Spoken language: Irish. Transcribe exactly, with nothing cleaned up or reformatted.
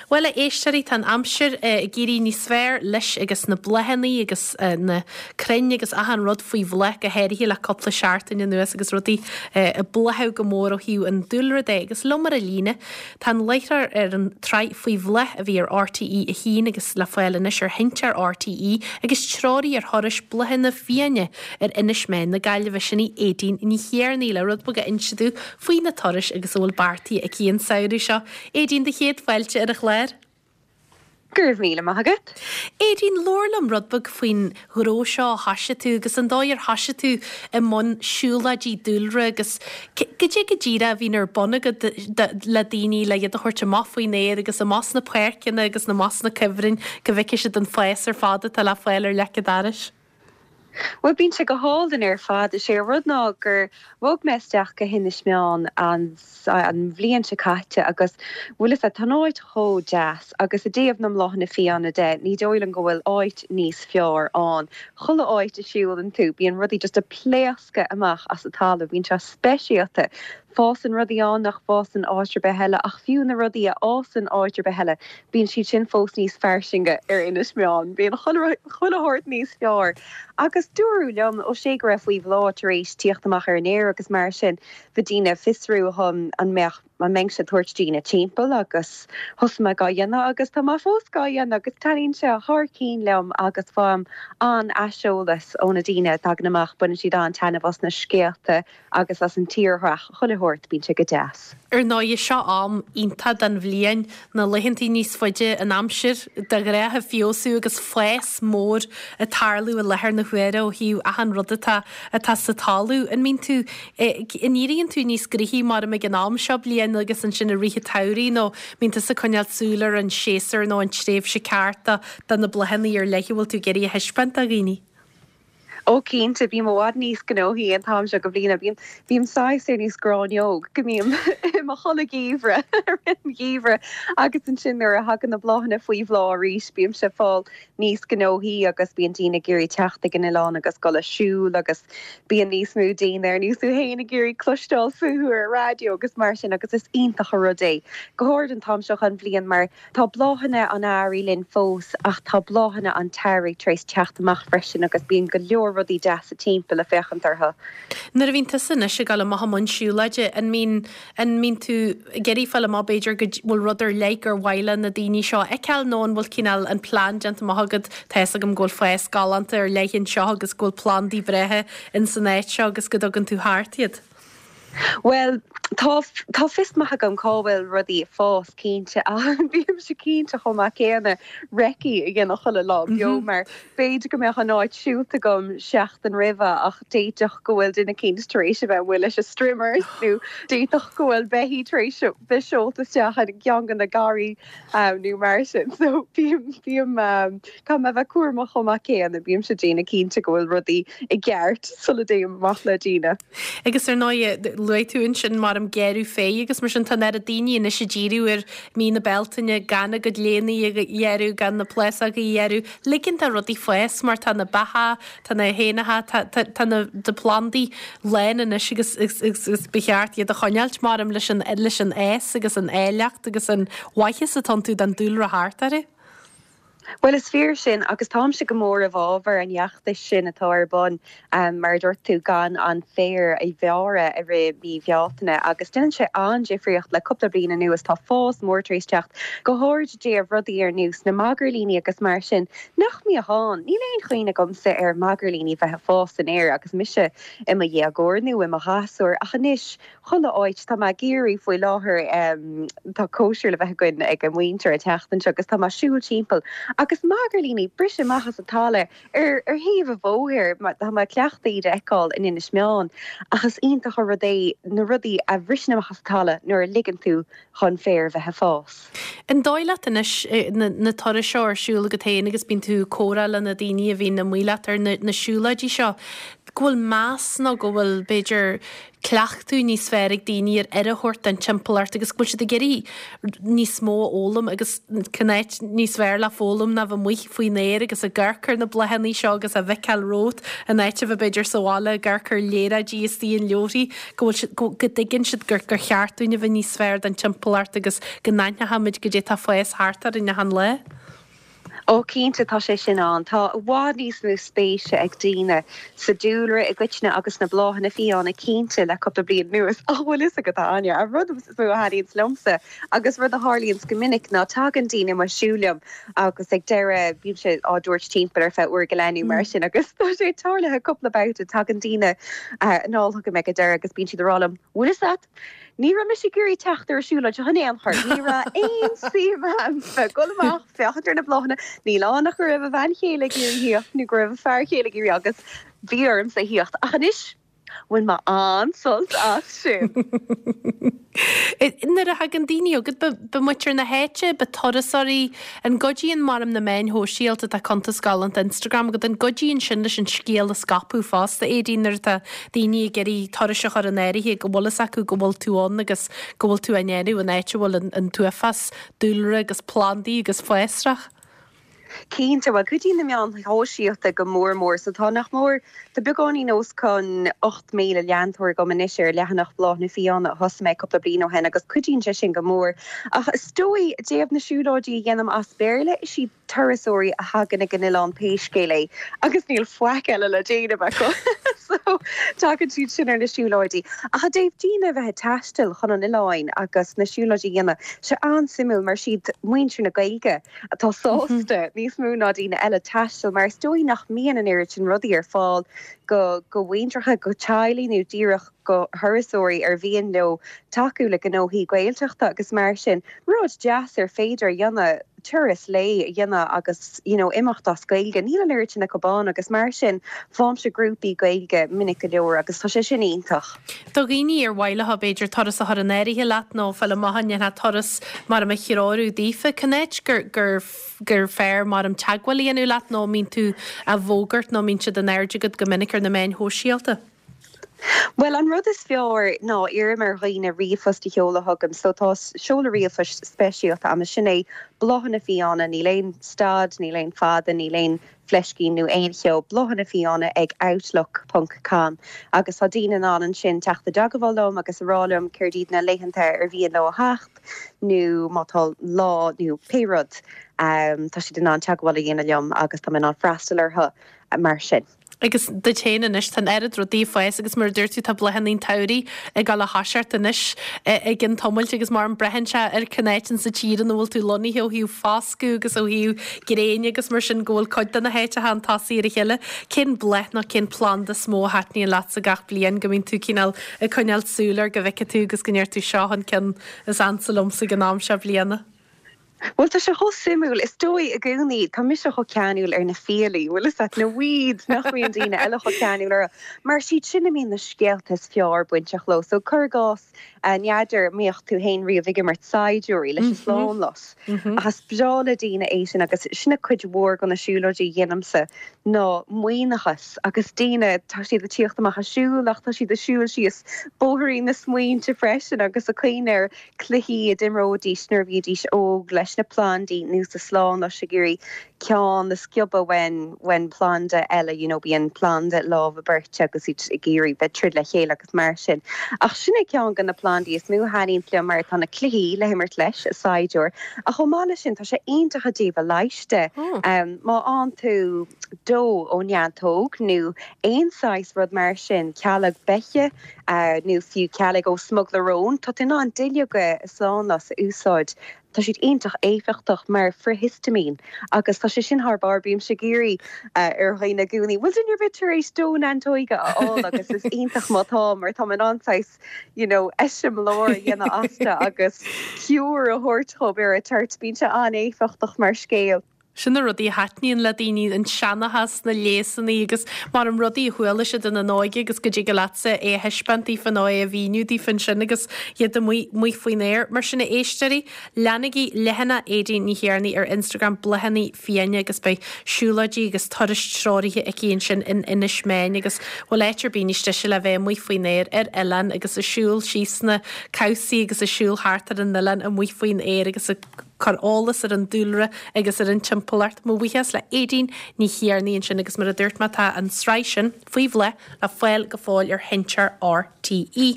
Bhuel, a éisteoirí, tá an aimsir ag éirí níos fearr leis agus na bláthanna agus na crainn agus achan rud faoi bhláth, go háirithe le cúpla seachtain anuas agus rudaí ag bláthú go mór ó thaobh an dúlra de. Agus liom ar an líne, tá an láithreoir ar an tsraith Faoi Bhláth a bhí ar RTÉ a haon agus le fáil anois ar Sheinnteoir RTÉ agus treoraí ar thurais bláthanna fiáine ar Inis Meáin na Gaillimhe, sin í Aedín Ní Thiarnaigh le rud beag a inse dúinn faoi na turais agus a bhfuil beartaithe aici an samhradh seo. Aedín, do chéad fáilte ar an chlár. Go raibh míle maith agat. Aedín, labhair liom rud beag faoin ghnó seo a thoisigh tú agus an dóigh ar thoisigh tú i mbun siúlóidí dúlra agus goidé go díreach a bhíonn ar bun agat le daoine le iad a thabhairt amach faoin aer agus amach sna páirceanna agus amach sna cuibhrinn go bhfeicfidh siad an fás ar fad atá le fáil ar leic an dorais. Well bíonn sé go hálainn ar fad is é rud ná gur bhog mé isteach go hInis Meáin an an bhliain seo caite agus bhfuil a fhios agat tá an áit chomh deas agus i dtaobh na mbláthanna fiáine de ní dóigh liom go bhfuil áit níos fearr ann. Chuile áit a siúlann tú bíonn rudaí just ag pléascadh amach as an talamh, bíonn sé speisialta. Fásann rudaí ann nach bhfásann áit ar bith eile ach fiú na rudaí a fhásann áit ar bith eile, bíonn siad sin fós níos fairsinge ar Inis Meáin, bíonn chuile shórt níos fearr. Agus dúradh liom ó sé go raibh Faoi Bhláth tar éis tíocht amach ar an aer agus mar sin bhí daoine ag fiosrú chun an mbeadh an mbeinnse ag tabhairt daoine timpeall agus thosaigh mé á dhéanamh agus tá mé fós á dhéanamh agus taitníonn sé thar cinn liom agus faighim an-aiseolas ó na daoine a thagann amach, baineann siad an-taitneamh as na scéalta agus as an tírdhreach chuile shórt, bíonn sé go deas. Ar ndóigh seo am iontach den bhliain, na laethantaí níos faide, an aimsir de ghnáth ag feabhsú agus fás mór ag tarlú i láthair na huaire ó thaobh achan rud atá atá sa talamh. An mbíonn tú an éiríonn tú níos gnoithí mar ag an am seo bliain agus ansin i rith an tsamhraidh nó mbíonn tusa ag coinneáil súil ar an séasúr nó an tréimhse ceart do na bláthanna ar leith a bhfuil tú ag iarraidh a thaispeáint do dhaoine? Ó cinnte bím i bhfad níos gnóthaí an t-am seo go bliana bím bím saghas ar nós gráinneog go mbím i mo chodladh geimhreadh ar an gheimhreadh agus ansin nuair a thagann na bláthanna faoi bhláth arís bímse ag fáil níos gnóthaí agus bíonn daoine ag iarraidh teacht ag an oileán agus dul ag siúl agus bíonn níos mó daoine ar nós tú féin ag iarraidh cloisteáil fúthu ar raidió agus mar sin agus is iontach an rud é. Go háirid an t-am seo an bhliain mar tá bláthanna an earraigh linn fós ach tá bláthanna an tsamhraidh tar éis teacht amach freisin agus bíonn go leor rudaí deasa timpeall le féachaint orthu. Nuair a bhíonn tusa anois ag dul amach i mbun siúlóide, an mbíonn an mbíonn tú ag iarraidh fáil amach b'fhéidir go bhfuil rud ar leith gur mhaith le na daoine seo a fheiceáil nó an bhfuil cineál an plean déanta amach agat, tá fhios agam go bhfuil fás galánta ar leith anseo agus go bhfuil plandaí breátha in san áit seo agus go dtugann tú thart iad? Well tá tá fios maith agam cá bhfuil rudaí ag fás cinnte ach bímse cinnte chomh maith céanna recce a dhéanamh chuile lá beo mar b'fhéidir go mbeadh an áit siúlta agam seachtain roimhe ach d'fhéadfadh go bhfuil duine éicint tar éis a bheith amuigh leis a strimmers nó d'fhéadfadh go bhfuil beithígh tar éis bheith seolta isteach i gceann de na garraí um, nó mar sin so bím bím um, caithfidh mé bheith cúramach chomh maith céanna bímse ag déanamh cinnte go bhfuil rudaí i gceart sula dtéim amach le daoine. Agus ar ndóigh luaigh tú ansin mar an gearradh féir agus mar sin tá an oiread daoine anois ag díriú ar mí na Bealtaine gan a gcuid léine a ghearradh gan na plásóga a ghearradh, ligean do rudaí fás mar tá na beacha, tá na héanacha, tá, tá, tá na na plandaí lán anois agus, agus, agus, agus ba cheart iad a choinneáilt mar leis an, leis an fhás agus an áilleacht agus an mhaitheas atá iontu don dúlra thart orthu. Well is fíor sin agus táimse go mór i bhfabhar an fheachtais sin atá ar bun um, mar dúirt tú gan an féar a ghearradh i rith mí Bhealtaine agus déanann sé an-difríocht le cúpla bliain anuas tá fás mór tar éis teacht go háirid díobh rudaí ar nós na magairlíní agus mar sin nach mbíodh ann. Níl aon chuimhne agamsa ar magairlíní bheith ag fás san aer agus mise i mo dhéagóir nó i mo ghasúr ach anois chuile áit tá mé ag iarraidh faoi láthair um, tá cóisir le bheith againn ag an muintir an tseachtain seo agus tá mé ag siúl timpeall agus magairlíní briseadh amach as an talamh ar ar thaobh an bhóthair tá mé cleachta iad a fheiceáil in Inis Meáin ach is iontach an rud é na rudaí a bhriseann amach as an talamh nuair a ligeann tú chun féar bheith ag fás. An dóigh leat anois na, na turais seo ar siúl agat féin agus bíonn tú ag comhrá le na daoine a bhíonn amuigh leat ar na, na siúlóidí seo. go bhfuil meas nó go bhfuil b'fhéidir cleachtadh níos fearr ag daoine ar aire a thabhairt don timpeallacht agus go bhfuil siad ag iarraidh níos mó a fhoghlaim agus cén áit níos fearr le foghlaim ná bheith amuigh faoin aer agus ag amharc ar na bláthanna seo agus á bhfeiceáil romhat in áit a bheith b'fhéidir sa bhaile ag amharc ar léaráidí istigh in leabharthaí go bhfuil siad go go dtuigeann siad gur gur cheart dúinn a bheith níos fearr don timpeallacht agus go n-aithneochaimid goidé atá ag fás thart orainn achan lá. Ó cinnte tá sé sin ann. Tá i bhfad níos mó spéise ag daoine sa dúlra i gcoitinne agus na bláthanna fiáine cinnte le cúpla bliain anuas. Ach bhfuil fhios agat Áine, an rud is mó a thaitníonns liomsa agus rud a tharlaíonns go minic ná tagann daoine amuigh ag siúl liom agus ag deireadh bímse á dtabhairt timpeall ar feadh uair go leith nó mar sin agus tá sé tarlaithe cúpla babhta tagann daoine anall chugam ag an deireadh agus bíonn siad ag rá liom, bhfuil fhios agat? Ní raibh mise ag iarraidh teacht ar an siúlóid seo in aon chor. Ní raibh aon suim agam bheith dul amach féachaint ar na bláthanna, níl ann ach go raibh a bhean chéile ag iarraidh theacht nó go raibh a fear chéile ag iarraidh agus bhí ormsa theacht. Ach anois bhain mé an-sult as sin. Nuair a thagann daoine chugat ab muintir na háite, ab turasóirí, an gcuidíonn mar na meáin shóisialta tá cuntas galánta Instagram agat an gcuidíonn sin leis an scéal a scaipeadh fosta Aedín nuair atá daoine ag iarraidh turais a chur in áirithe go bhfuil fhios acu go bhfuil tú ann agus go bhfuil tú in éineacht an áit a bhfuil an t-uafás dúlra agus plandaí agus fásrach. Cinnte well cuidíonn na meáin shóisialta go mór mór so tá nach mór tá beagáinín os cionn ocht míle leantóir agam anois ar leathanach Bláthanna Fiáine a thosaigh mé cúpla bliain ó shin agus cuidíonn sé sin go mór. Ach is dóigh i dtaobh na siúlóidí a dhéanaim as Béarla is iad turasóirí a thagann ag an oileán pé scéal é agus níl faic eile le déanamh acu so tagann siad sin ar na siúlóidí. Ach i dtaobh daoine bheith ag taisteal chun an oileáin agus na siúlóidí a dhéanamh sé an-suimiúil mar is iad muintir na Gaeilge atá sásta níos mó ná daoine eile taisteal mar is dóigh nach mbíonn an oiread sin rudaí ar fáil go go mhuintreacha go teaghlaigh nó díreach go thurasóirí ar mhian leo tacú le gnóthaí Gaeltachta agus mar sin rud deas ar féidir a dhéanamh turas lae a dhéanamh agus you know, imeacht as Gaeilge. Níl an oiread sin acu ann agus mar sin faighimse grúpaí Gaeilge minic go leor agus tá sé sin iontach. Do dhaoine ar mhaith leo b'fhéidir turas a chur in áirithe leat nó fáil amach an ndéanfá turas mar a threorú daofa cén áit gur gur gur fearr mar am teagmháil a dhéanamh leat nó mbíonn tú á bhfógairt nó mbíonn siad in airde agat go minic ar na meáin shóisialta. Well an rud is fearr ná iarraim ar dhaoine ríomhphost a sheoladh chugam, so tá seoladh ríomhphoist speisialta agam sin é bláthanna fiáine níl aon stad, níl aon fada, níl aon fleiscín nó aon cheo bláthanna fiáine ag outlook.com agus tá daoine in ann ansin teacht i dteagmháil liom agus a rá liom céard iad na laethanta ar mhian leo a theacht nó má tá lá nó pé rud um, tá siad in ann teagmháil a dhéanamh liom agus tá mé in ann freastal orthu mar sin. Agus duit féin anois tá oiread rudaí ag fás agus mar dúirt tú tá bláthanna an tsamhraidh ag dul a thoiseacht anois ag an tiomáilt agus mar an braitheann sé ar cén áit sa tír ina bhfuil tú lonnaithe ó thaobh foscadh agus ó thaobh gréine agus mar sin go bhfuil cuid de na háiteacha chun tosaigh ar a chéile. Cén bláth nó cén planda is mó a thaitníonn leatsa gach bliain go mbíonn tú cineál ag coinneáil súil air go bhfeice tú agus go ndeir tú seo an ceann is ansa liomsa ag an am seo bliana. Well tá sé chomh suimiúil is dóigh i gcónaí tá mise chomh ceanúil ar na fiailí, bhfuil fhios agat na weeds nach mbíonn daoine eile chomh ceanúil orthu. Mar siad sin a mbíonn na scéalta is fearr bainteach leo, so cuir i gcás n'fheadar an mbíodh tú féin riamh ag imirt saighdiúirí leis an slánlus. Ach is breá le daoine é sin agus sin a cuid mhór de na siúlóidí a dhéanaimse ná maoithneachas agus daoine tá siad ag tíocht amach ag siúl ach tá siad ag siúl síos bóithrín na smaointe freisin agus ag cuimhneamh ar cluichí a d'imreoidís nuair a bhídís óg leis na plandaí nó sa slánlus ag iarraidh ceann a sciobadh ón ón planda eile you know, bíonn planda lámha beirte agus iad ag iarraidh bheith troid le chéile agus mar sin. Ach sin é ceann de na plandaí is mó a thaitníonn liom mar tá na cluichí le himirt leis a saighdiúir. A chomh maith leis sin tá sé iontach i dtaobh a leighis de. Oh. Um, má fhaigheann tú dó ó neantóg nó aon saghas rud mar sin cealg beiche uh, nó fiú cealg ó smuglarón, tá tú in ann duilleoga slánlus a úsáid. Tá siad iontach éifeachtach mar frithhistamine agus tá sé sin thar barr bímse ag iarraidh uh, ar dhaoine i gcónaí. Bhfuil duine ar bith tar éis dó neantóige a fháil agus is iontach má tá mar tá in ann you know, eiseamláir a dhéanamh astu agus cure a thabhairt dóibh ar a tort bíonn sé an-éifeachtach mar scéal. Sin na rudaí a thaitníonn le daoine an seanchas na léasanna agus mar an rudaí a chuala siad ina n-óige agus go dtig leatsa é a thaispeáint daofa nó é a mhíniú daofa ansin agus iad amuigh amuigh faoin aer. Mar sin a éisteoirí, leanaigí leathanach Aedín Ní Thiarnaigh ar Instagram Bláthanna Fiáine agus beidh siúlóidí agus turais treoraithe aici ansin in Inis Meáin agus bhfuil áit ar bith níos deise le bheith amuigh faoin aer ar oileán agus ag siúl síos na cabhsaí agus ag siúl thart ar an oileán amuigh faoin aer agus ag cur eolas ar an dúlra agus ar an timpeallacht. Mo bhuíochas le Aedín Ní Thiarnaigh ansin agus mar a dúirt mé tá an tsraith sin faoi bhláth le fáil go fóill ar Sheinnteoir RTÉ.